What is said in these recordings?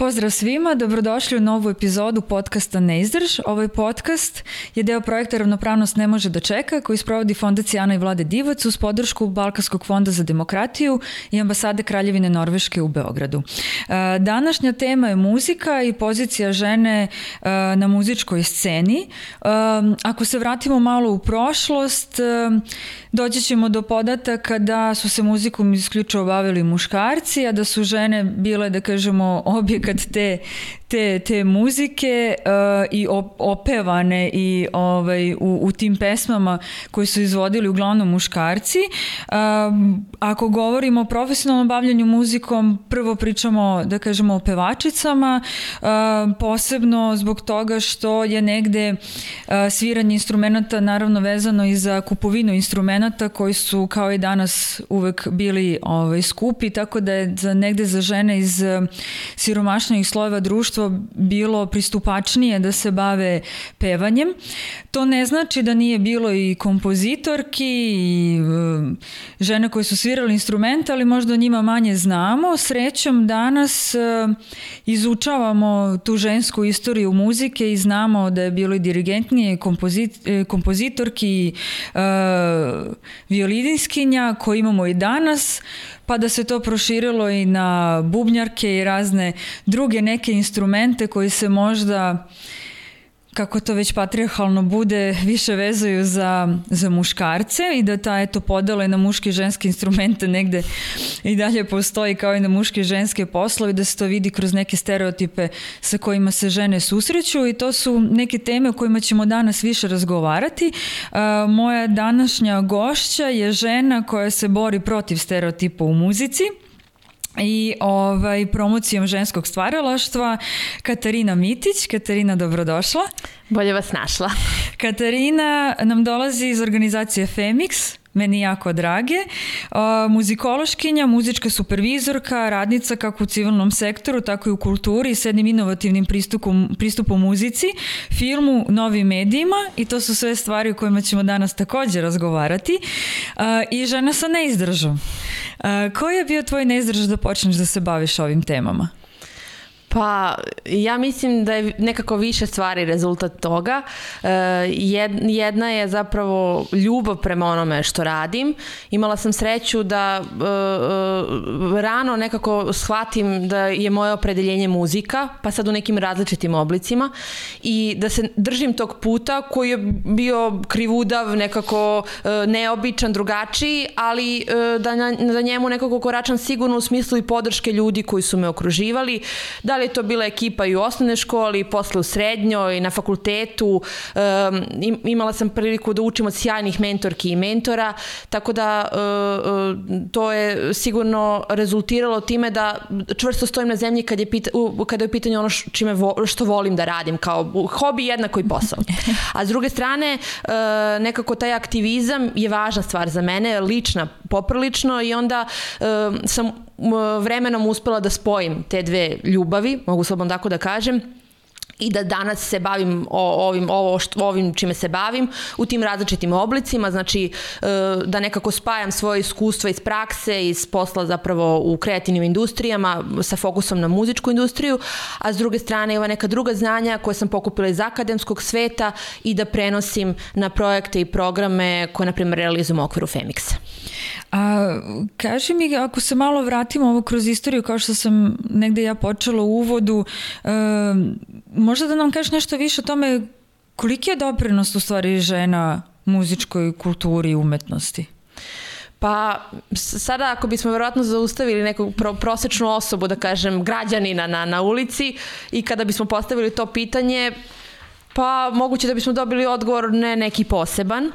Pozdrav svima, dobrodošli u novu epizodu podcasta Ne izdrž. Ovaj podcast je deo projekta Ravnopravnost ne može da čeka, koji sprovodi Fondacija Ana i Vlade Divac uz podršku Balkanskog fonda za demokratiju i ambasade Kraljevine Norveške u Beogradu. Današnja tema je muzika i pozicija žene na muzičkoj sceni. Ako se vratimo malo u prošlost, doći ćemo do podataka da su se muzikom isključivo bavili muškarci, a da su žene bile, da kažemo, objekat te muzike i opevane i u tim pesmama koje su izvodili uglavnom muškarci. Ako govorimo o profesionalnom bavljanju muzikom, prvo pričamo, da kažemo, o pevačicama, posebno zbog toga što je negde sviranje instrumenta naravno vezano i za kupovinu instrumenta koji su kao i danas uvek bili skupi, tako da je negde za žene iz siromašnijih slojeva društva bilo pristupačnije da se bave pevanjem. To ne znači da nije bilo i kompozitorki i žene koje su svirali instrumente, ali možda o njima manje znamo. Srećom danas izučavamo tu žensku istoriju muzike i znamo da je bilo i dirigentnije, kompozitorki, violiniskinja koje imamo i danas, pa da se to proširilo i na bubnjarke i razne druge neke instrumente koji se možda, kako to već patrijarhalno bude, više vezuju za muškarce i da ta podela na muške i ženske instrumente negde i dalje postoji kao i na muške i ženske poslove, da se to vidi kroz neke stereotipe sa kojima se žene susreću i to su neke teme o kojima ćemo danas više razgovarati. Moja današnja gošća je žena koja se bori protiv stereotipa u muzici i promocijom ženskog stvaralaštva, Katarina Mitić. Katarina, dobrodošla. Bolje vas našla. Katarina nam dolazi iz organizacije Femix, meni jako drage, muzikološkinja, muzička supervizorka, radnica kako u civilnom sektoru, tako i u kulturi s jednim inovativnim pristupom muzici, filmu, novim medijima i to su sve stvari o kojima ćemo danas također razgovarati. I žena sa neizdržom. Koji je bio tvoj neizdrž da počneš da se baviš ovim temama? Pa ja mislim da je nekako više stvari rezultat toga. Jedna je zapravo ljubav prema onome što radim. Imala sam sreću da rano nekako shvatim da je moje opredeljenje muzika, pa sad u nekim različitim oblicima i da se držim tog puta koji je bio krivudav, nekako neobičan, drugačiji, ali da njemu nekako koračam sigurno u smislu i podrške ljudi koji su me okruživali. Da li je to bila ekipa i u osnovnoj školi, posle u srednjoj, na fakultetu. Imala sam priliku da učim od sjajnih mentorki i mentora, tako da to je sigurno rezultiralo time da čvrsto stojim na zemlji kada je u pitanju ono što volim da radim, kao hobi jednako i posao. A s druge strane, nekako taj aktivizam je važna stvar za mene, lična, poprilično, i onda sam vremenom uspela da spojim te dve ljubavi, mogu slobodno tako da kažem, i da danas se bavim ovim čime se bavim u tim različitim oblicima, znači da nekako spajam svoje iskustva iz prakse, iz posla zapravo u kreativnim industrijama sa fokusom na muzičku industriju, a s druge strane ova neka druga znanja koje sam pokupila iz akademskog sveta i da prenosim na projekte i programe koje, na primjer, realizujem u okviru Femixa. A kaži mi, ako se malo vratimo ovo kroz istoriju, kao što sam negde ja počela u uvodu, možda da nam kažeš nešto više o tome koliki je doprinos u stvari žena muzičkoj kulturi i umetnosti? Pa sada ako bismo verovatno zaustavili neku prosečnu osobu, da kažem građanina na ulici, i kada bismo postavili to pitanje, pa moguće da bismo dobili odgovor ne neki poseban,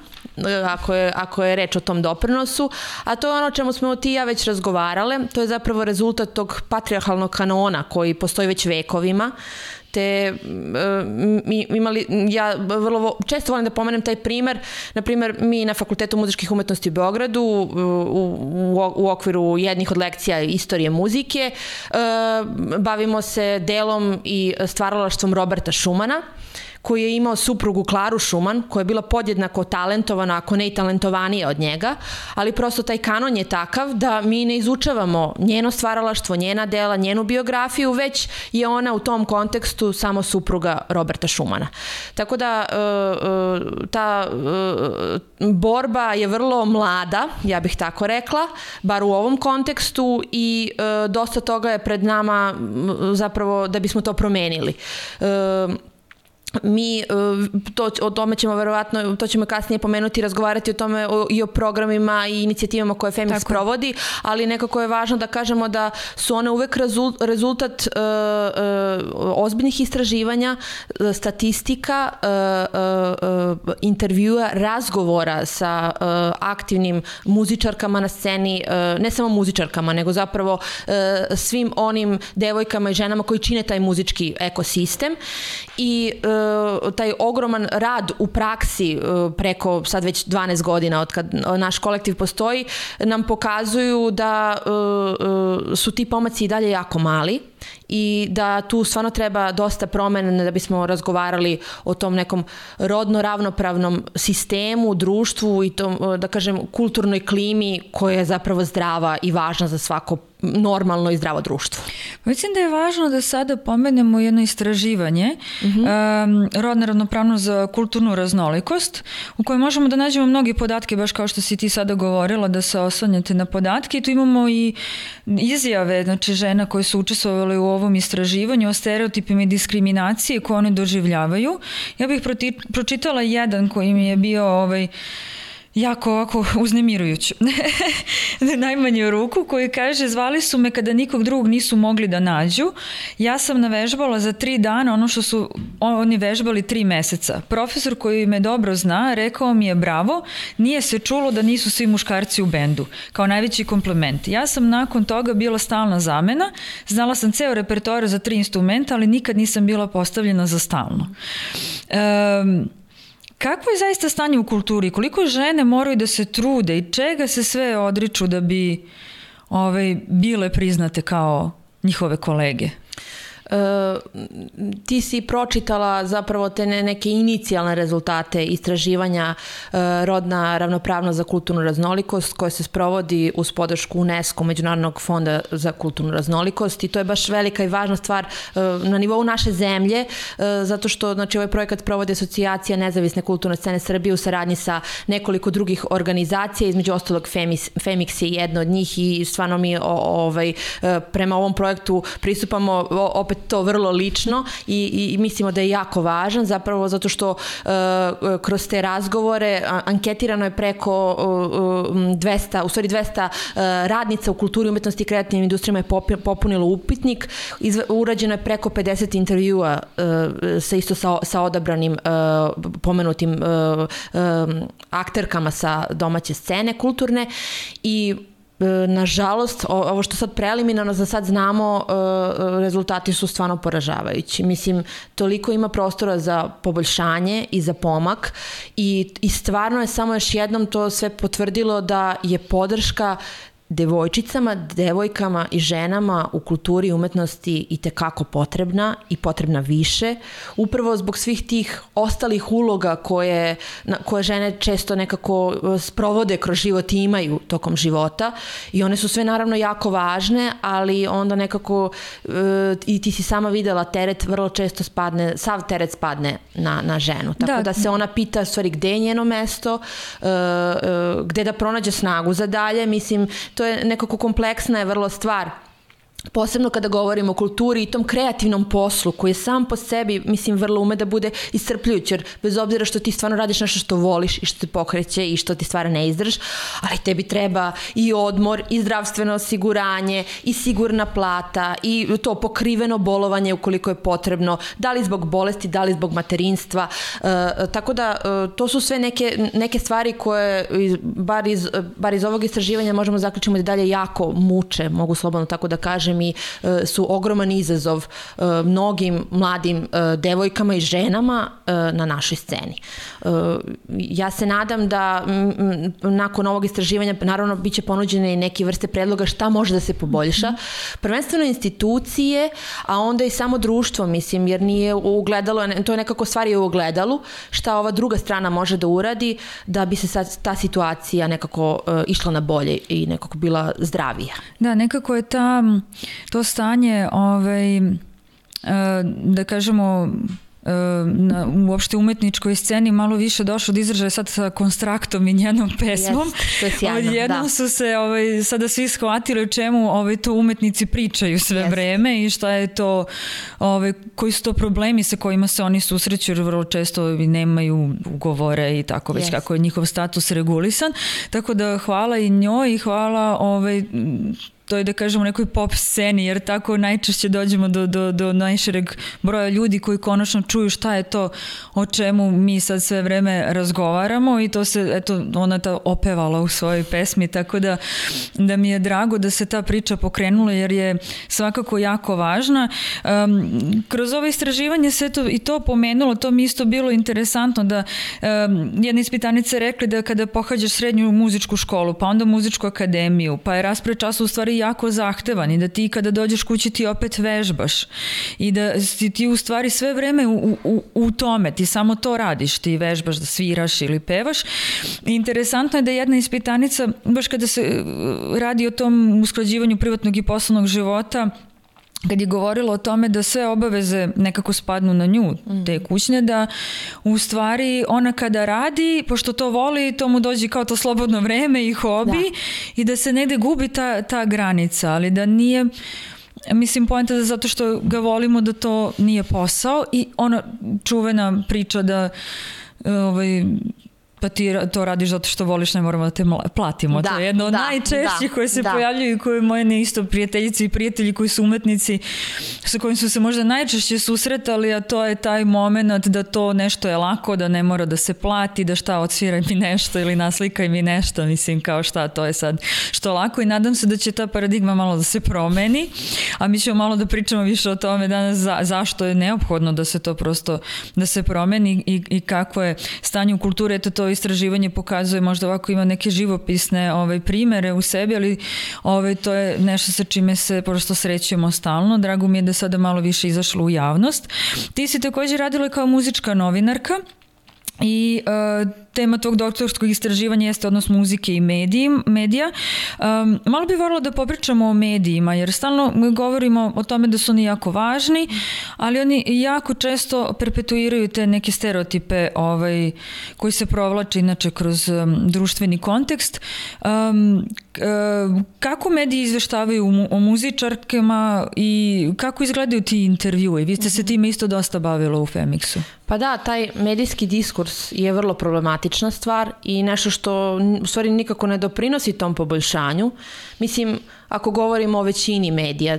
ako je reč o tom doprinosu, a to je ono o čemu smo ti i ja već razgovarale. To je zapravo rezultat tog patrijarhalnog kanona koji postoji već vekovima, te ja vrlo često volim da pomenem taj primer. Na primer, mi na Fakultetu muzičkih umetnosti u Beogradu u okviru jednih od lekcija istorije muzike bavimo se delom i stvaralaštvom Roberta Šumana, koji je imao suprugu Klaru Šuman, koja je bila podjednako talentovana, ako ne i talentovanija od njega, ali prosto taj kanon je takav da mi ne izučavamo njeno stvaralaštvo, njena dela, njenu biografiju, već je ona u tom kontekstu samo supruga Roberta Šumana. Tako da ta borba je vrlo mlada, ja bih tako rekla, bar u ovom kontekstu, i dosta toga je pred nama zapravo da bismo to promenili. Mi, o tome ćemo verovatno, to ćemo kasnije pomenuti, razgovarati o tome i o programima i inicijativama koje Femix provodi, ali nekako je važno da kažemo da su one uvek rezultat ozbiljnih istraživanja, statistika, intervjua, razgovora sa aktivnim muzičarkama na sceni, ne samo muzičarkama, nego zapravo svim onim devojkama i ženama koji čine taj muzički ekosistem, i taj ogroman rad u praksi preko sad već 12 godina od kad naš kolektiv postoji nam pokazuju da su ti pomaci i dalje jako mali i da tu stvarno treba dosta promena da bismo razgovarali o tom nekom rodno ravnopravnom sistemu, društvu i tom, da kažem, kulturnoj klimi koja je zapravo zdrava i važna za svako normalno i zdravo društvo. Mislim da je važno da sada pomenemo jedno istraživanje rodna ravnopravnost za kulturnu raznolikost, u kojoj možemo da nađemo mnogi podatke, baš kao što si ti sada govorila, da se oslanjate na podatke. I tu imamo i izjave, znači, žena koje su učestvovali u ovom istraživanju o stereotipima i diskriminacije koje one doživljavaju. Ja bih pročitala jedan koji mi je bio jako ovako uznemirujuć. Najmanje ruku, koji kaže: zvali su me kada nikog drugog nisu mogli da nađu. Ja sam navežbala za 3 dana ono što su oni vežbali 3 meseca. Profesor koji me dobro zna rekao mi je bravo, nije se čulo da nisu svi muškarci u bendu. Kao najveći komplement. Ja sam nakon toga bila stalna zamena, znala sam ceo repertoar za 3 instrumenta, ali nikad nisam bila postavljena za stalno. Kakvo je zaista stanje u kulturi? Koliko žene moraju da se trude i čega se sve odriču da bi bile priznate kao njihove kolege? Ti si pročitala zapravo te neke inicijalne rezultate istraživanja rodna ravnopravnost za kulturnu raznolikost koje se sprovodi uz podršku UNESCO, Međunarodnog fonda za kulturnu raznolikost, i to je baš velika i važna stvar na nivou naše zemlje, zato što, znači, ovaj projekat provodi Asocijacija nezavisne kulturne scene Srbije u saradnji sa nekoliko drugih organizacija, između ostalog Femix je jedna od njih, i stvarno mi prema ovom projektu pristupamo opet to vrlo lično i mislimo da je jako važan, zapravo zato što kroz te razgovore anketirano je preko 200 radnica u kulturi, umetnosti i kreativnim industrijama je popunilo upitnik, urađeno je preko 50 intervjua sa odabranim pomenutim akterkama sa domaće scene kulturne, i nažalost, ovo što sad preliminarno za sad znamo, rezultati su stvarno poražavajući. Mislim, toliko ima prostora za poboljšanje i za pomak, i stvarno je samo još jednom to sve potvrdilo da je podrška devojčicama, devojkama i ženama u kulturi i umetnosti itekako potrebna i potrebna više, upravo zbog svih tih ostalih uloga koje žene često nekako sprovode kroz život i imaju tokom života, i one su sve naravno jako važne, ali onda nekako i ti si sama videla, teret vrlo često spadne, sav teret spadne na ženu, tako da se ona pita stvari gde je njeno mesto, gde da pronađe snagu za dalje. Mislim, to je nekako kompleksna je vrlo stvar, posebno kada govorimo o kulturi i tom kreativnom poslu koji je sam po sebi, mislim, vrlo ume da bude iscrpljujući, jer bez obzira što ti stvarno radiš nešto što voliš i što te pokreće i što ti stvara neizdrž, ali tebi treba i odmor, i zdravstveno osiguranje, i sigurna plata, i to pokriveno bolovanje ukoliko je potrebno, da li zbog bolesti, da li zbog materinstva, tako da to su sve neke stvari koje bar iz ovog istraživanja možemo zaključiti da dalje jako muče, mogu slobodno tako da kažem, mi su ogroman izazov mnogim mladim devojkama i ženama na našoj sceni. Ja se nadam da nakon ovog istraživanja naravno bit će ponuđene i neke vrste predloga šta može da se poboljša. Prvenstveno institucije, a onda i samo društvo, mislim, jer nije ugledalo, to je nekako stvari u ogledalu, šta ova druga strana može da uradi da bi se ta situacija nekako išla na bolje i nekako bila zdravija. Da, nekako je to stanje, da kažemo, uopšte umetničkoj sceni malo više došlo do izražaja sad sa Konstraktom i njenom pesmom. To je sjajno, Odjednom su se sada svi shvatili o čemu to umetnici pričaju sve vreme i šta je to, koji su to problemi sa kojima se oni susreću, jer vrlo često nemaju ugovore i tako već kako je njihov status regulisan. Tako da hvala i njoj i hvala to je da kažemo nekoj pop sceni, jer tako najčešće dođemo do najšireg broja ljudi koji konačno čuju šta je to o čemu mi sad sve vreme razgovaramo i to se, eto, ona ta opevala u svojoj pesmi, tako da mi je drago da se ta priča pokrenula jer je svakako jako važna. Kroz ovo istraživanje se i to pomenulo, to mi isto bilo interesantno da jedna ispitanica je rekla da kada pohađaš srednju muzičku školu, pa onda muzičku akademiju, pa je raspored časa u stvari jako zahtevan i da ti kada dođeš kući ti opet vežbaš i da si ti u stvari sve vreme u tome, ti samo to radiš, ti vežbaš da sviraš ili pevaš. I interesantno je da jedna ispitanica, baš kada se radi o tom usklađivanju privatnog i poslovnog života, kad je govorila o tome da sve obaveze nekako spadnu na nju, te kućne, da u stvari ona kada radi, pošto to voli, to mu dođe kao to slobodno vreme i hobi i da se negde gubi ta granica, ali da nije, mislim, poenta da zato što ga volimo da to nije posao i ona čuvena priča da pa ti to radiš zato što voliš, ne moramo da te platimo. To je jedno od najčešćih koje se pojavljuju i koje moje isto prijateljice i prijatelji koji su umetnici sa kojim su se možda najčešće susretali, a to je taj moment da to nešto je lako, da ne mora da se plati, da šta odsviraj mi nešto ili naslikaj mi nešto, mislim kao šta, to je sad što lako i nadam se da će ta paradigma malo da se promeni, a mi ćemo malo da pričamo više o tome danas zašto je neophodno da se to prosto, da se promeni i kako je stanje u kulturi. Eto, to istraživanje pokazuje, možda ovako ima neke živopisne primere u sebi, ali to je nešto sa čime se prosto srećemo stalno. Drago mi je da sada malo više izašlo u javnost. Ti si također radila kao muzička novinarka i tema tog doktorskog istraživanja jeste odnos muzike i medija. Malo bih voljela da popričamo o medijima, jer stalno govorimo o tome da su oni jako važni, ali oni jako često perpetuiraju te neke stereotipe koji se provlače inače kroz društveni kontekst. Kako mediji izveštavaju o muzičarkama i kako izgledaju ti intervjui? Vi ste se time isto dosta bavila u Femixu. Pa da, taj medijski diskurs je vrlo problematična stvar i nešto što u stvari nikako ne doprinosi tom poboljšanju. Mislim, ako govorimo o većini medija,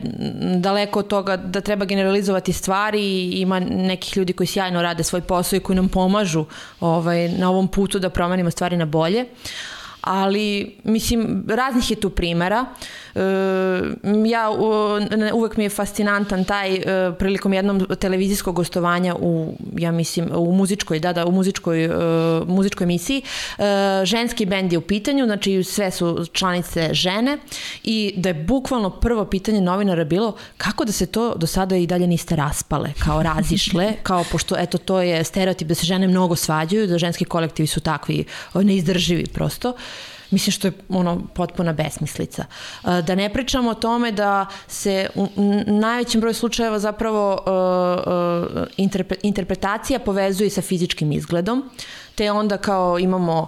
daleko od toga da treba generalizovati stvari, ima nekih ljudi koji sjajno rade svoj posao i koji nam pomažu na ovom putu da promenimo stvari na bolje. Ali, mislim, raznih je tu primera. Uvek mi je fascinantan taj prilikom jednom televizijskog gostovanja u muzičkoj emisiji. Ženski bend je u pitanju, znači sve su članice žene i da je bukvalno prvo pitanje novinara bilo kako da se to do sada i dalje niste raspale, kao razišle, kao pošto eto to je stereotip da se žene mnogo svađaju, da ženski kolektivi su takvi neizdrživi prosto. Mislim što je potpuna besmislica. Da ne pričamo o tome da se u najvećem broju slučajeva zapravo interpretacija povezuje sa fizičkim izgledom, te onda kao imamo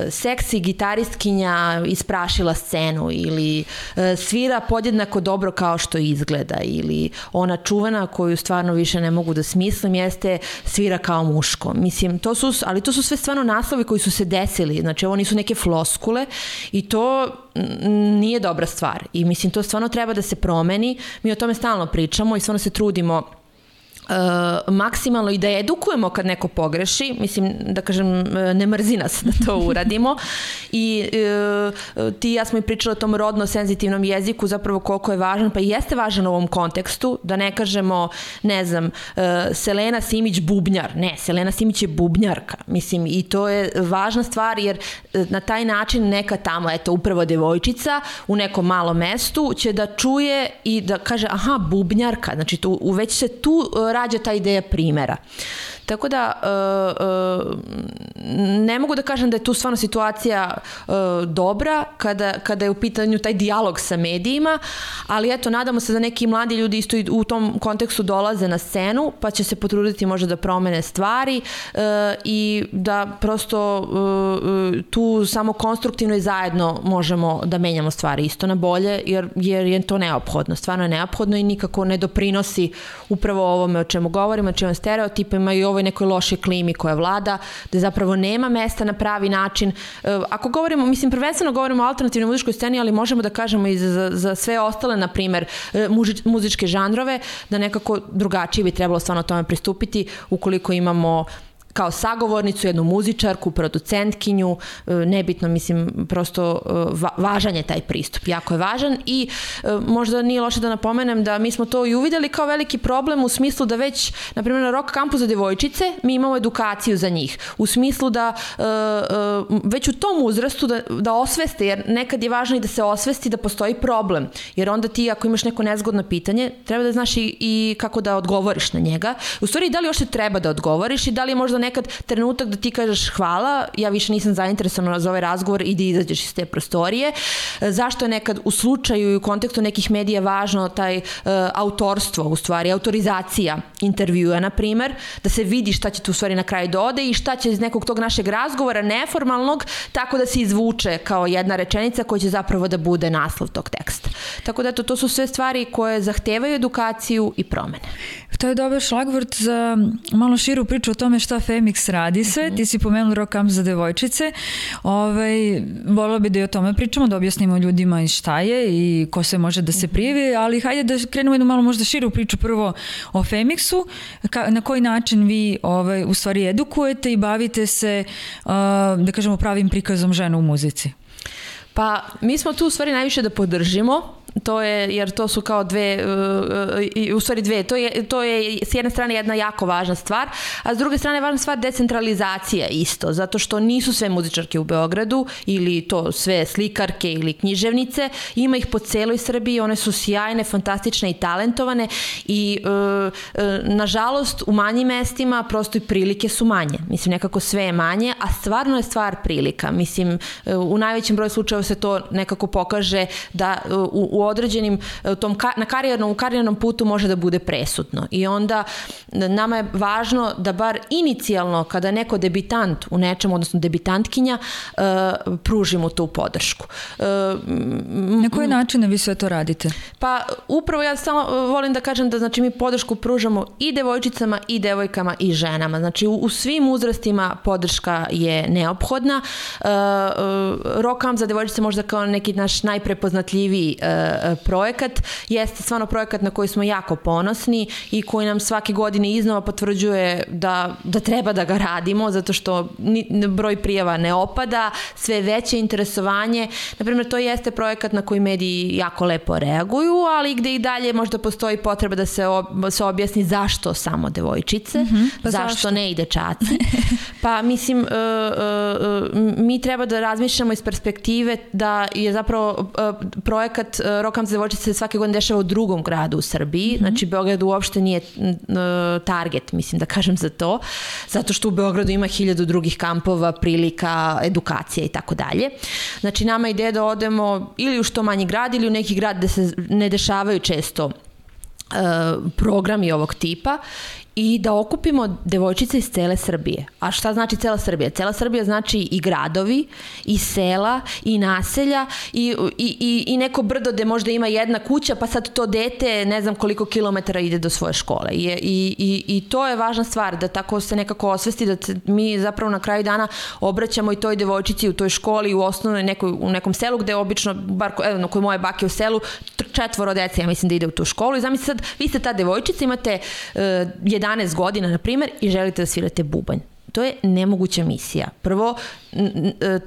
seksi gitaristkinja isprašila scenu ili svira podjednako dobro kao što izgleda ili ona čuvena koju stvarno više ne mogu da smislim jeste svira kao muško. Mislim, to su sve stvarno naslovi koji su se desili, znači ovo nisu neke floskule i to nije dobra stvar i mislim to stvarno treba da se promeni. Mi o tome stalno pričamo i stvarno se trudimo maksimalno i da edukujemo kad neko pogreši, mislim da kažem ne mrzi nas da to uradimo i ti i ja smo i pričali o tom rodno senzitivnom jeziku, zapravo koliko je važan, pa i jeste važan u ovom kontekstu, da ne kažemo, ne znam, Selena Simić bubnjar, ne, Selena Simić je bubnjarka, mislim, i to je važna stvar jer na taj način neka tamo, eto, upravo devojčica u nekom malom mestu će da čuje i da kaže, aha, bubnjarka, znači već se tu rađa ta ideja primera. Tako da ne mogu da kažem da je tu stvarno situacija dobra kada je u pitanju taj dijalog sa medijima, ali eto, nadamo se da neki mladi ljudi isto u tom kontekstu dolaze na scenu, pa će se potruditi možda da promene stvari i da prosto tu samo konstruktivno i zajedno možemo da menjamo stvari isto na bolje, jer je to neophodno, stvarno je neophodno i nikako ne doprinosi upravo ovome o čemu govorimo, o čemu stereotipima i ovoj nekoj lošoj klimi koja vlada, da zapravo nema mesta na pravi način. Ako govorimo, mislim, prvenstveno govorimo o alternativnoj muzičkoj sceni, ali možemo da kažemo i za sve ostale, na primer, muzičke žanrove, da nekako drugačije bi trebalo stvarno tome pristupiti ukoliko imamo kao sagovornicu, jednu muzičarku, producentkinju, nebitno, mislim, prosto važan je taj pristup, jako je važan i možda nije loše da napomenem da mi smo to i uvideli kao veliki problem u smislu da već, na primjer, na rock kampu za devojčice mi imamo edukaciju za njih, u smislu da već u tom uzrastu da osveste, jer nekad je važno i da se osvesti da postoji problem, jer onda ti ako imaš neko nezgodno pitanje, treba da znaš i kako da odgovoriš na njega. U stvari, da li još te treba da odgovoriš i da li je možda nekad trenutak da ti kažeš hvala, ja više nisam zainteresovana za ovaj razgovor i da izađeš iz te prostorije. Zašto je nekad u slučaju i u kontekstu nekih medija važno taj autorstvo, u stvari, autorizacija intervjua, na primer, da se vidi šta će tu u stvari na kraju dode i šta će iz nekog tog našeg razgovora neformalnog tako da se izvuče kao jedna rečenica koja će zapravo da bude naslov tog teksta. Tako da to su sve stvari koje zahtevaju edukaciju i promene. To je dobar šlagvort za malo širu priču o tome šta Femix radi sve. Ti si pomenula rock kamp za devojčice. Volila bi da i o tome pričamo, da objasnimo ljudima i šta je i ko se može da se prijavi, ali hajde da krenemo jednu malo možda širu priču prvo o Femixu. Na koji način vi u stvari edukujete i bavite se, da kažemo, pravim prikazom žena u muzici? Pa mi smo tu u stvari najviše da podržimo, to je, jer to su kao dve, to je s jedne strane jedna jako važna stvar, a s druge strane važna stvar decentralizacija isto, zato što nisu sve muzičarke u Beogradu ili to sve slikarke ili književnice, ima ih po celoj Srbiji, one su sjajne, fantastične i talentovane i nažalost u manjim mestima prosto i prilike su manje, mislim nekako sve je manje, a stvarno je stvar prilika, mislim u najvećem broju slučajeva se to nekako pokaže da u određenim na karijernom putu može da bude presudno. I onda nama je važno da bar inicijalno kada neko debitant u nečemu, odnosno debitantkinja, pružimo tu podršku. Na koji način vi sve to radite? Pa upravo ja samo volim da kažem da znači mi podršku pružamo i devojčicama i devojkama i ženama. Znači u svim uzrastima podrška je neophodna. Rock Camp za devojčice možda kao neki naš najprepoznatljiviji projekat. Jeste stvarno projekat na koji smo jako ponosni i koji nam svake godine iznova potvrđuje da treba da ga radimo, zato što broj prijava ne opada, sve veće interesovanje. Naprimjer, to jeste projekat na koji mediji jako lepo reaguju, ali gde i dalje možda postoji potreba da se objasni zašto samo devojčice, pa zašto ne i dečaci. Pa mislim, mi treba da razmišljamo iz perspektive da je zapravo projekat Rock Camp za devojčice svake godine dešava u drugom gradu u Srbiji, znači Beograd uopšte nije target, mislim da kažem za to, zato što u Beogradu ima 1000 drugih kampova, prilika, edukacija i tako dalje. Znači nama je ideja da odemo ili u što manji grad ili u neki grad gde se ne dešavaju često programi ovog tipa i da okupimo devojčice iz cele Srbije. A šta znači cela Srbija? Cela Srbija znači i gradovi, i sela, i naselja, i neko brdo gde možda ima jedna kuća, pa sad to dete ne znam koliko kilometara ide do svoje škole. I to je važna stvar, da tako se nekako osvesti, da mi zapravo na kraju dana obraćamo i toj devojčici u toj školi, u osnovnoj u nekom selu, gde obično, bar kod moje bake u selu, 4 dece, ja mislim da ide u tu školu i zamislite sad, vi ste ta devojčica, imate 11 godina, na primjer, i želite da svirate bubanj. To je nemoguća misija. Prvo,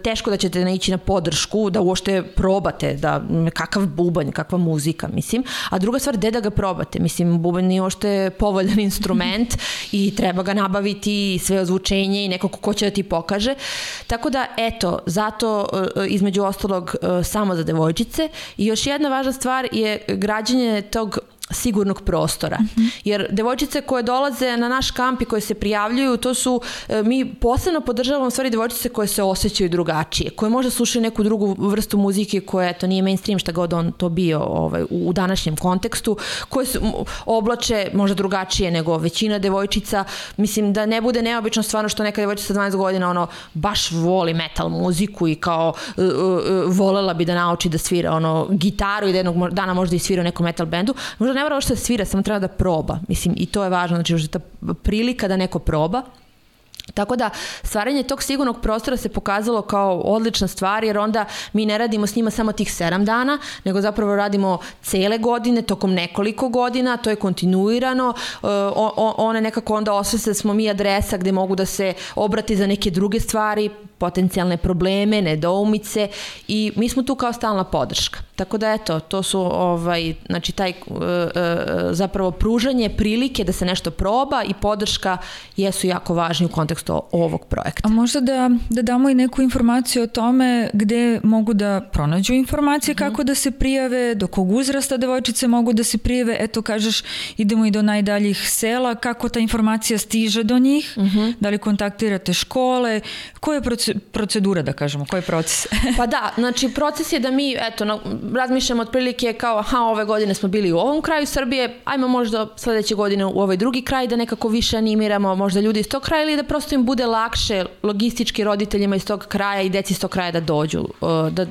teško da ćete naići na podršku, da uopšte probate, da kakav bubanj, kakva muzika, mislim. A druga stvar, gde da ga probate? Mislim, bubanj nije uopšte povoljan instrument i treba ga nabaviti, sve ozvučenje i neko ko će da ti pokaže. Tako da, eto, zato između ostalog samo za devojčice. I još jedna važna stvar je građenje tog sigurnog prostora. Jer devojčice koje dolaze na naš kamp i koje se prijavljuju, to su, mi posebno podržavamo stvari devojčice koje se osjećaju drugačije, koje možda slušaju neku drugu vrstu muzike koja, eto, nije mainstream, šta god on to bio u današnjem kontekstu, koje se oblače možda drugačije nego većina devojčica. Mislim, da ne bude neobično stvarno što neka devojčica 12 godina baš voli metal muziku i kao volela bi da nauči da svira gitaru i da jednog dana možda i svira u nekom metal bendu. Možda ne mora što da svira, samo treba da proba. Mislim, i to je važno, znači ta prilika da neko proba. Tako da stvaranje tog sigurnog prostora se pokazalo kao odlična stvar, jer onda mi ne radimo s njima samo tih 7 dana, nego zapravo radimo cele godine, tokom nekoliko godina, to je kontinuirano. One nekako onda osveste da smo mi adresa gde mogu da se obrati za neke druge stvari, potencijalne probleme, nedoumice, i mi smo tu kao stalna podrška. Tako da eto, to su znači taj zapravo pružanje prilike da se nešto proba i podrška jesu jako važni u kontekstu ovog projekta. A možda da damo i neku informaciju o tome gde mogu da pronađu informacije, kako da se prijave, do kog uzrasta devojčice mogu da se prijave, eto kažeš idemo i do najdaljih sela, kako ta informacija stiže do njih, da li kontaktirate škole, koja je procedura, da kažemo, koji je proces? Pa da, znači proces je da mi, eto, razmišljamo otprilike kao, ove godine smo bili u ovom kraju Srbije, ajmo možda sledeće godine u ovaj drugi kraj da nekako više animiramo možda ljudi iz tog kraja, ili da prosto im bude lakše logistički roditeljima iz tog kraja i deci iz tog kraja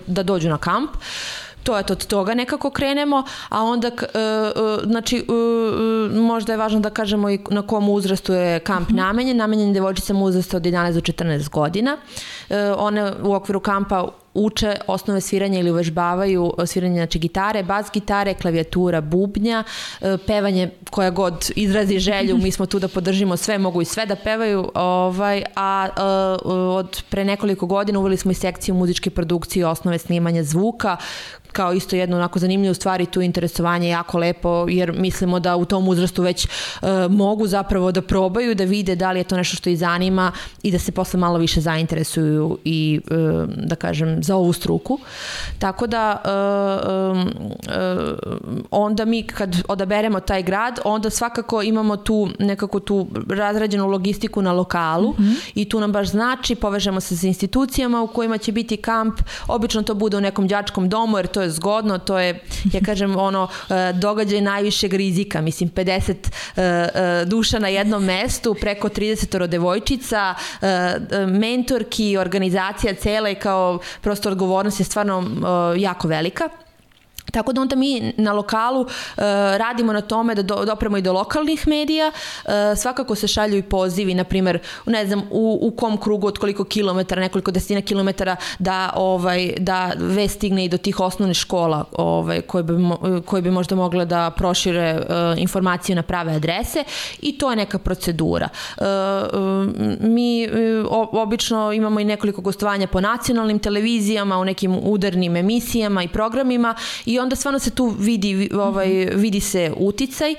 da dođu na kamp. To je od toga nekako krenemo, a onda znači možda je važno da kažemo i na kom uzrastu je kamp namenjen devojčicama uzrasta od 11 do 14 godina. One u okviru kampa uče osnove sviranja ili uvežbavaju sviranje, znači gitare, bas gitare, klavijatura, bubnja, pevanje koja god izrazi želju, mi smo tu da podržimo sve, mogu i sve da pevaju, a od pre nekoliko godina uveli smo i sekciju muzičke produkcije, osnove snimanja zvuka, kao isto jedno onako zanimljivo stvari, tu interesovanje je jako lepo, jer mislimo da u tom uzrastu već mogu zapravo da probaju, da vide da li je to nešto što ih zanima i da se posle malo više zainteresuju i da kažem za ovu struku. Tako da onda mi kad odaberemo taj grad, onda svakako imamo tu nekako tu razrađenu logistiku na lokalu i tu nam baš znači, povežemo se sa institucijama u kojima će biti kamp, obično to bude u nekom đačkom domu, jer to je zgodno, to je, ja kažem, događaj najvišeg rizika, mislim 50 duša na jednom mestu, preko 30 devojčica, mentorki, organizacija cela i kao prosto odgovornost je stvarno jako velika. Tako da onda mi na lokalu radimo na tome da dopremo i do lokalnih medija, svakako se šalju i pozivi, na primjer, ne znam, u kom krugu od koliko kilometara, nekoliko desetina kilometara da vest stigne i do tih osnovnih škola koje bi možda mogle da prošire informacije na prave adrese, i to je neka procedura. Mi obično imamo i nekoliko gostovanja po nacionalnim televizijama, u nekim udarnim emisijama i programima, i onda stvarno se tu vidi se uticaj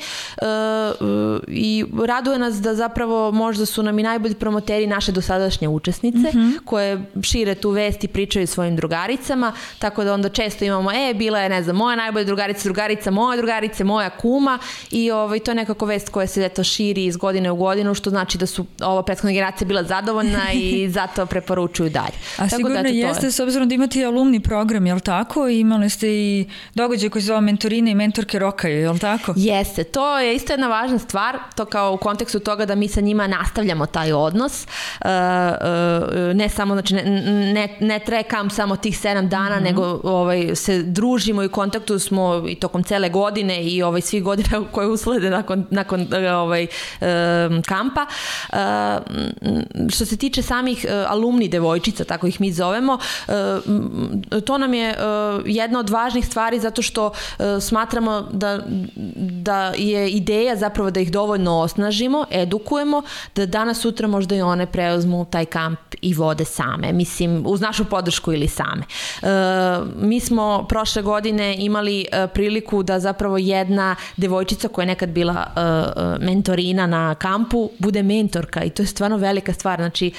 i raduje nas da zapravo možda su nam i najbolji promoteri naše dosadašnje učesnice koje šire tu vest i pričaju svojim drugaricama, tako da onda često imamo, bila je, ne znam, moja najbolja drugarica moje drugarice, moja kuma, i to je nekako vest koja se širi iz godine u godinu, što znači da su ova prethodna generacija bila zadovoljna i zato preporučuju dalje. A sigurno jeste, s obzirom da imate i alumni program, je li tako? Imali ste i događaj koji se zove mentorine i mentorke rokaju, je li tako? Jeste, to je isto jedna važna stvar, to kao u kontekstu toga da mi sa njima nastavljamo taj odnos, ne samo, znači ne traje kamp samo tih 7 dana, nego se družimo i u kontaktu smo i tokom cele godine i svih godina koje uslede nakon kampa. Što se tiče samih alumni devojčica, tako ih mi zovemo, to nam je jedna od važnih stvari stvari zato što smatramo da je ideja zapravo da ih dovoljno osnažimo, edukujemo, da danas sutra možda i one preuzmu taj kamp i vode same, mislim uz našu podršku ili same. Mi smo prošle godine imali priliku da zapravo jedna devojčica koja je nekad bila mentorina na kampu bude mentorka i to je stvarno velika stvar. Znači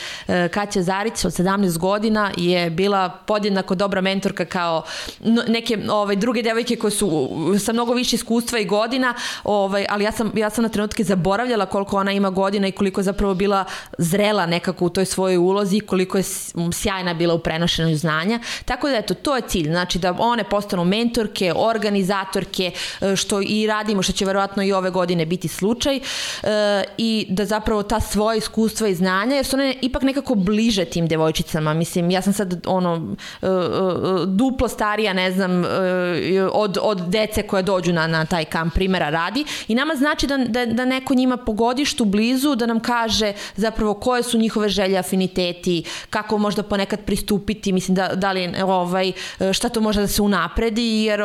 Kaća Zarić od 17 godina je bila podjednako dobra mentorka kao neke druge devojke koje su sa mnogo više iskustva i godina, ali ja sam na trenutke zaboravljala koliko ona ima godina i koliko je zapravo bila zrela nekako u toj svojoj ulozi i koliko je sjajna bila u prenošenju znanja. Tako da eto, to je cilj, znači da one postanu mentorke, organizatorke, što i radimo, što će verovatno i ove godine biti slučaj, i da zapravo ta svoja iskustva i znanja, jer su one ipak nekako bliže tim devojčicama. Mislim, ja sam sad duplo starija, ne znam, od dece koje dođu na taj kamp, primjera radi, i nama znači da neko njima po godištu blizu da nam kaže zapravo koje su njihove želje, afiniteti, kako možda ponekad pristupiti, mislim da li šta to može da se unapredi, jer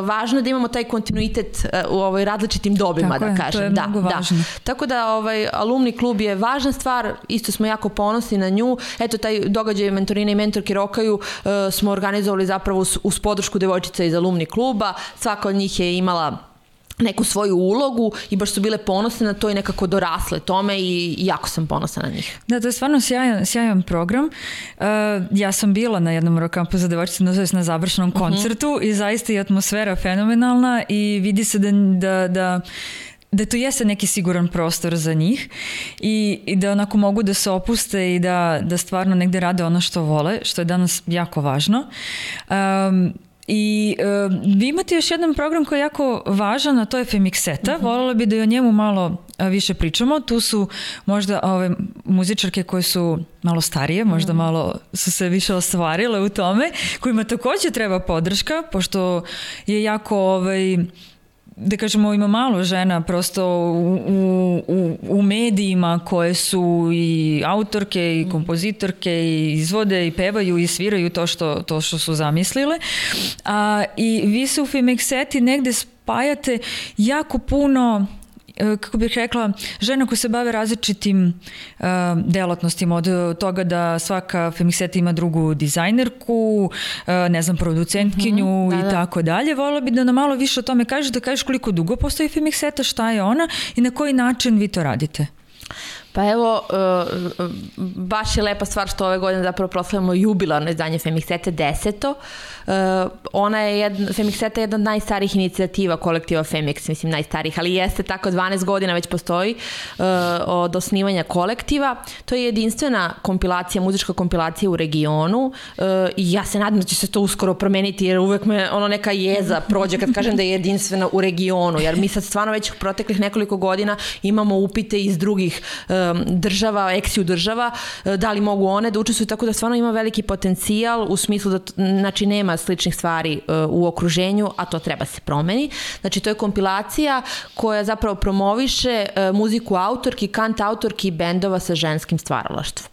važno je da imamo taj kontinuitet u različitim dobima, tako da je, kažem. to je mnogo važno. Tako da alumni klub je važna stvar, isto smo jako ponosni na nju. Eto, taj događaj mentorine i mentorke rokaju smo organizovali zapravo uz podršku devojčica iz alumni kluba. Svaka od njih je imala neku svoju ulogu i baš su bile ponosne na to i nekako dorasle tome i jako sam ponosna na njih. Da, to je stvarno sjajan program. Ja sam bila na jednom rokampu za devojčice, na završnom koncertu i zaista je atmosfera fenomenalna i vidi se da tu jeste neki siguran prostor za njih i da onako mogu da se opuste i da stvarno negde rade ono što vole, što je danas jako važno. I vi imate još jedan program koji je jako važan, a to je Femikseta. Voljela bi da i o njemu malo više pričamo. Tu su možda ove muzičarke koje su malo starije, možda malo su se više ostvarile u tome, kojima također treba podrška, pošto je jako da kažemo, ima malo žena prosto u medijima koje su i autorke i kompozitorke i izvode i pevaju i sviraju to što su zamislile. I vi se u Femikseti negde spajate jako puno, kako bih rekla, žena koje se bave različitim delatnostima, od toga da svaka Femikseta ima drugu dizajnerku, ne znam, producentkinju i tako dalje. Voljela bi da nam malo više o tome kažeš, da kažeš koliko dugo postoji Femikseta, šta je ona i na koji način vi to radite. Pa evo, baš je lepa stvar što ove godine zapravo proslavljamo jubilarno izdanje Femiksete 10. Femikseta je jedna od najstarijih inicijativa kolektiva Femiks, mislim najstarijih, ali jeste tako, 12 godina već postoji od osnivanja kolektiva. To je jedinstvena kompilacija, muzička kompilacija u regionu i ja se nadam da će se to uskoro promeniti, jer uvek me neka jeza prođe kad kažem da je jedinstvena u regionu, jer mi sad stvarno već proteklih nekoliko godina imamo upite iz drugih država, eksiju država, da li mogu one da učestvuju, tako da stvarno ima veliki potencijal u smislu da znači nema sličnih stvari u okruženju, a to treba se promeni. Znači to je kompilacija koja zapravo promoviše muziku autorki, kant autorki i bendova sa ženskim stvaralaštvom.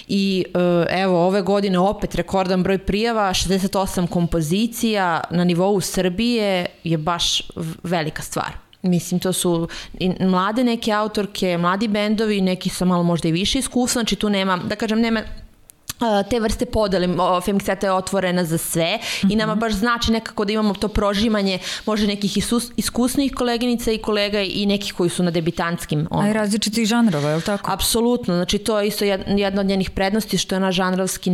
I evo, ove godine opet rekordan broj prijava, 68 kompozicija na nivou Srbije je baš velika stvar. Mislim, to su mlade neke autorke, mladi bendovi, neki sa malo možda i više iskustva, znači tu nema, da kažem, nema te vrste podele. Femikseta je otvorena za sve i nama baš znači nekako da imamo to prožimanje možda nekih iskusnih koleginica i kolega i nekih koji su na debitantskim. A i različitih žanrova, je li tako? Apsolutno, znači to je isto jedna od njenih prednosti, što je ona žanrovski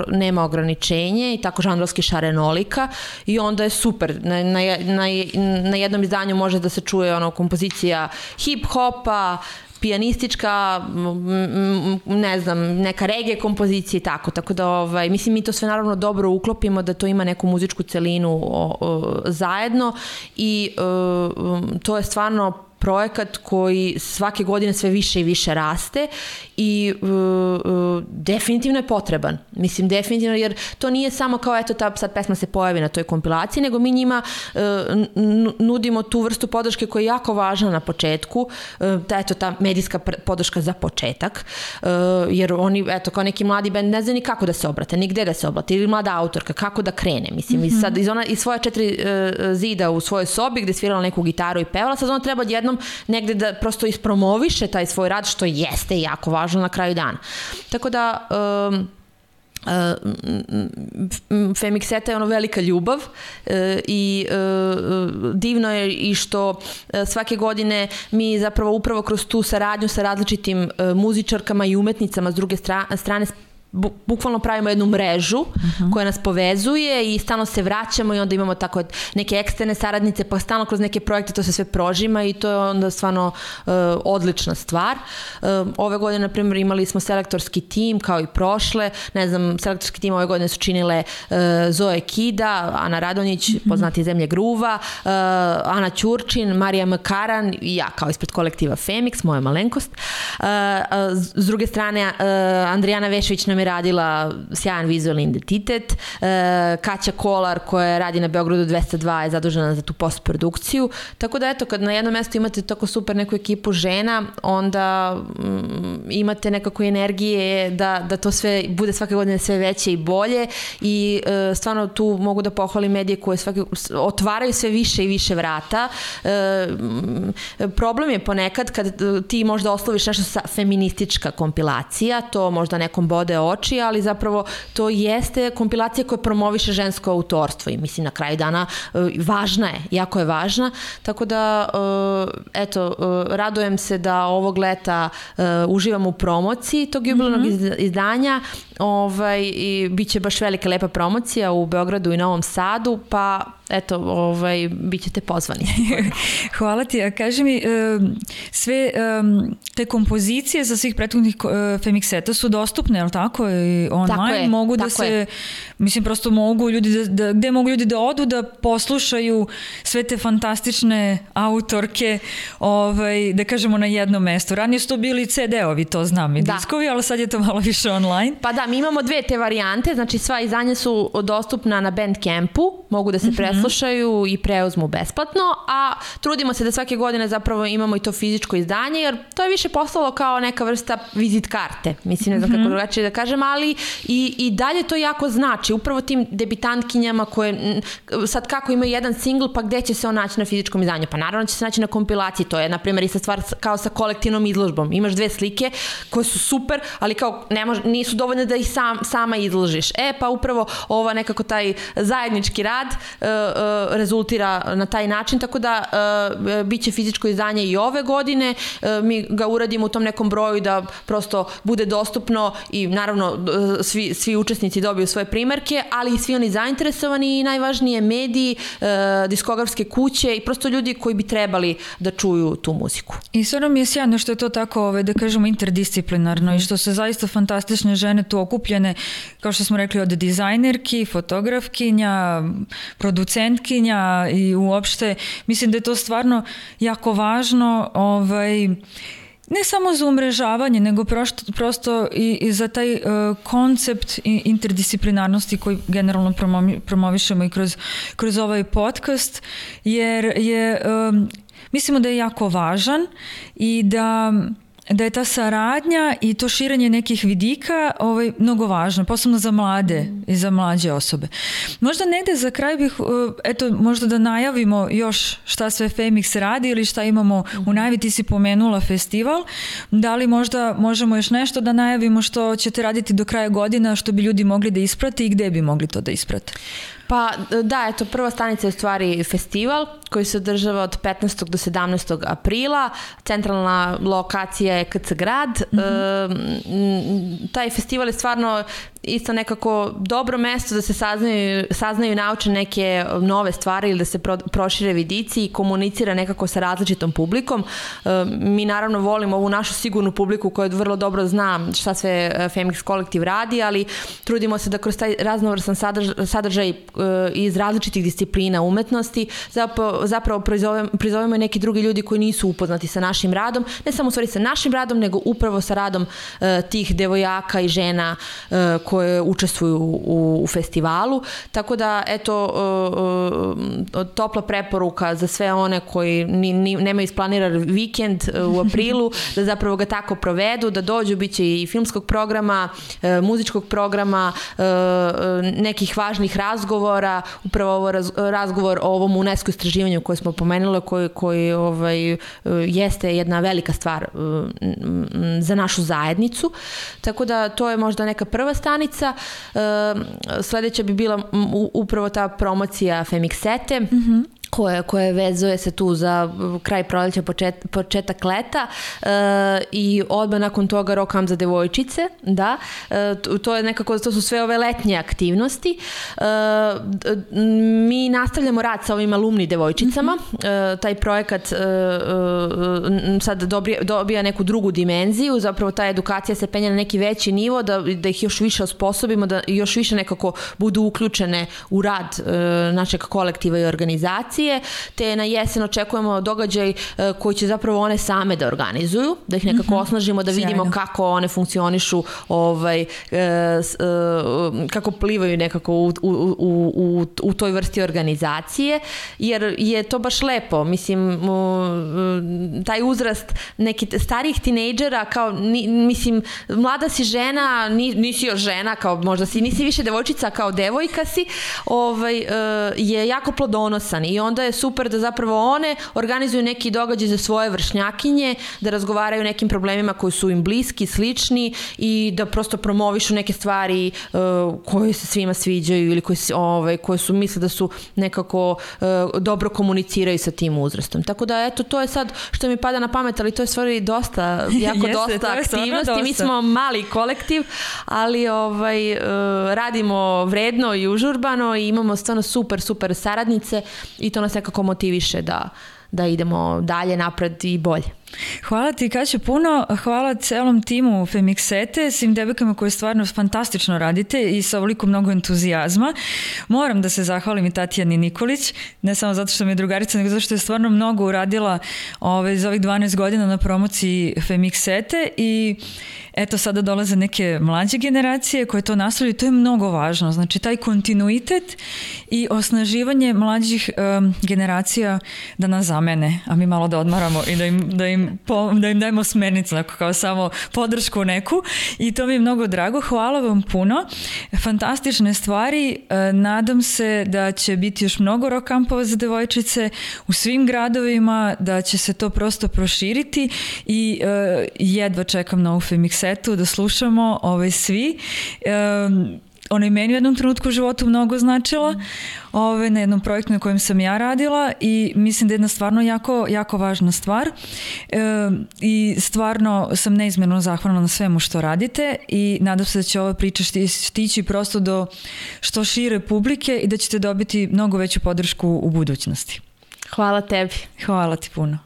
nema ograničenje i tako žanrovski šarenolika i onda je super. Na jednom izdanju može da se čuje kompozicija hip-hopa, pijanistička, ne znam, neka reggae kompozicija i tako da mislim mi to sve naravno dobro uklopimo, da to ima neku muzičku celinu zajedno i to je stvarno projekat koji svake godine sve više i više raste i definitivno je potreban. Mislim, definitivno, jer to nije samo kao eto ta sad pesma se pojavi na toj kompilaciji, nego mi njima nudimo tu vrstu podrške koja je jako važna na početku, ta medijska podrška za početak, jer oni, eto, kao neki mladi bend ne zna ni kako da se obrate, ni gde da se obrate, ili mlada autorka, kako da krene, mislim, i sad iz svoje 4 zida u svojoj sobi gde svirala neku gitaru i pevala, sad ona treba odjednom negde da prosto ispromoviše taj svoj rad, što jeste jako važno na kraju dana. Tako da Femikseta je ono velika ljubav i divno je i što svake godine mi zapravo upravo kroz tu saradnju sa različitim muzičarkama i umetnicama s druge strane bukvalno pravimo jednu mrežu koja nas povezuje i stalno se vraćamo i onda imamo tako neke eksterne saradnice, pa stalno kroz neke projekte to se sve prožima i to je onda stvarno odlična stvar. Ove godine, na primjer, imali smo selektorski tim kao i prošle, ne znam, selektorski tim ove godine su činile Zoe Kida, Ana Radonjić, poznati Zemlje gruva, Ana Ćurčin, Marija Makaran i ja kao ispred kolektiva Femiks, moja malenkost. S druge strane, Andrijana Vešović nam je radila sjajan vizualni identitet, Kaća Kolar koja radi na Beogradu 202 je zadužena za tu postprodukciju, tako da eto, kad na jednom mjestu imate tako super neku ekipu žena, onda imate nekako energije da to sve bude svake godine sve veće i bolje i stvarno tu mogu da pohvalim medije koje otvaraju sve više i više vrata. Problem je ponekad kad ti možda osloviš nešto sa feministička kompilacija, to možda nekom bode oči, ali zapravo to jeste kompilacija koja promoviše žensko autorstvo i mislim na kraju dana važna je, jako je važna, tako da eto, radujem se da ovog leta uživam u promociji tog jubilarnog izdanja i bit će baš velika lepa promocija u Beogradu i Novom Sadu, pa eto, bit ćete pozvani. Hvala ti. A kaži mi, sve te kompozicije za svih prethodnih Femikseta su dostupne, je li tako? I online tako je, mogu da tako se, je. mislim, prosto mogu ljudi gde mogu ljudi da odu da poslušaju sve te fantastične autorke, da kažemo na jednom mestu. Ranije su to bili CD-ovi, to znam, i diskovi, ali sad je to malo više online. Pa da, mi imamo 2 te varijante, znači sva izdanja su dostupna na Bandcampu, mogu da se preslušaju i preuzmu besplatno, a trudimo se da svake godine zapravo imamo i to fizičko izdanje, jer to je više postalo kao neka vrsta vizit karte, mislim, ne znam kako drugačije da kažem, ali i dalje to jako znači, upravo tim debitantkinjama koje sad kako imaju jedan singl, pa gde će se on naći na fizičkom izdanju? Pa naravno će se naći na kompilaciji, to je na primjer ista stvar kao sa kolektivnom izložbom, imaš 2 slike koje su super, ali kao nisu dovoljne da ih sama izložiš. Pa upravo ova nekako taj zajednički rad rezultira na taj način, tako da bit će fizičko izdanje i ove godine, mi ga uradimo u tom nekom broju da prosto bude dostupno i naravno svi učesnici dobiju svoje primerke, ali i svi oni zainteresovani i najvažnije mediji, diskografske kuće i prosto ljudi koji bi trebali da čuju tu muziku. I stvarno mi je sjajno što je to tako, da kažemo, interdisciplinarno i što se zaista fantastične žene tu okupljene, kao što smo rekli, od dizajnerki, fotografkinja, producentkinja i uopšte, mislim da je to stvarno jako važno, ne samo za umrežavanje, nego prosto i za taj koncept interdisciplinarnosti koji generalno promovišemo i kroz ovaj podcast, jer mislimo da je jako važan i da je ta saradnja i to širenje nekih vidika mnogo važno, posebno za mlade i za mlađe osobe. Možda negde za kraj bih, možda da najavimo još šta sve Femiks radi ili šta imamo u najavi. Ti si pomenula festival, da li možda možemo još nešto da najavimo što ćete raditi do kraja godina, što bi ljudi mogli da isprate i gde bi mogli to da isprate? Pa da, prva stanica je u stvari festival koji se održava od 15. do 17. aprila. Centralna lokacija je KC Grad. Taj festival je stvarno isto nekako dobro mesto da se saznaju i nauče neke nove stvari ili da se prošire vidici i komunicira nekako sa različitom publikom. Mi naravno volimo ovu našu sigurnu publiku koja vrlo dobro zna šta sve Femix kolektiv radi, ali trudimo se da kroz taj raznovrsan sadržaj iz različitih disciplina umetnosti zapravo prizovemo i neki drugi ljudi koji nisu upoznati sa našim radom, ne samo u stvari sa našim radom, nego upravo sa radom tih devojaka i žena koje učestvuju u festivalu. Tako da, eto, topla preporuka za sve one koji nemaju isplaniran vikend u aprilu, da zapravo ga tako provedu, da dođu, bit će i filmskog programa, muzičkog programa, nekih važnih razgovora, upravo ovo razgovor o ovom UNESCO istraživanju koje smo pomenuli, koji jeste jedna velika stvar za našu zajednicu. Tako da to je možda neka prva stanica. Sledeća bi bila upravo ta promocija Femixete, koje vezuje se tu za kraj proleća, početak leta i odmah nakon toga Rock Camp za devojčice, da. To je nekako, to su sve ove letnje aktivnosti. Mi nastavljamo rad sa ovim alumni devojčicama. Taj projekat sad dobija neku drugu dimenziju, zapravo ta edukacija se penja na neki veći nivo, da ih još više osposobimo, da još više nekako budu uključene u rad našeg kolektiva i organizacije, te na jesen očekujemo događaj koji će zapravo one same da organizuju, da ih nekako osnažimo, da vidimo kako one funkcionišu, kako plivaju nekako u toj vrsti organizacije, jer je to baš lepo. Mislim, taj uzrast nekih starijih tinejdžera, kao, mislim, mlada si žena, nisi još žena, kao možda nisi više devojčica, kao devojka si, je jako plodonosan i onda je super da zapravo one organizuju neki događaj za svoje vršnjakinje, da razgovaraju o nekim problemima koji su im bliski, slični i da prosto promovišu neke stvari koje se svima sviđaju ili koje su misle da su nekako dobro komuniciraju sa tim uzrastom. Tako da, eto, to je sad što mi pada na pamet, ali to je stvari dosta, dosta aktivnosti. Mi smo mali kolektiv, ali radimo vredno i užurbano i imamo stvarno super saradnice i to nas nekako motiviše da idemo dalje, napred i bolje. Hvala ti, Kaća, puno. Hvala celom timu Femixete, svim devojkama koje stvarno fantastično radite i sa ovoliko mnogo entuzijazma. Moram da se zahvalim i Tatjani Nikolić, ne samo zato što mi je drugarica, nego zato što je stvarno mnogo uradila za ovih 12 godina na promociji Femixete i eto, sada dolaze neke mlađe generacije koje to nastavljaju i to je mnogo važno. Znači, taj kontinuitet i osnaživanje mlađih generacija da nas zamene, a mi malo da odmaramo i da im dajemo smernicu, kao samo podršku neku i to mi je mnogo drago. Hvala vam puno. Fantastične stvari. Nadam se da će biti još mnogo rock kampova za devojčice u svim gradovima, da će se to prosto proširiti i jedva čekam na ovu Femixetu da slušamo svi. Ona je meni u jednom trenutku u životu mnogo značila na jednom projektu na kojem sam ja radila i mislim da je jedna stvarno jako važna stvar i stvarno sam neizmjerno zahvalna na svemu što radite i nadam se da će ova priča stići prosto do što šire publike i da ćete dobiti mnogo veću podršku u budućnosti. Hvala tebi. Hvala ti puno.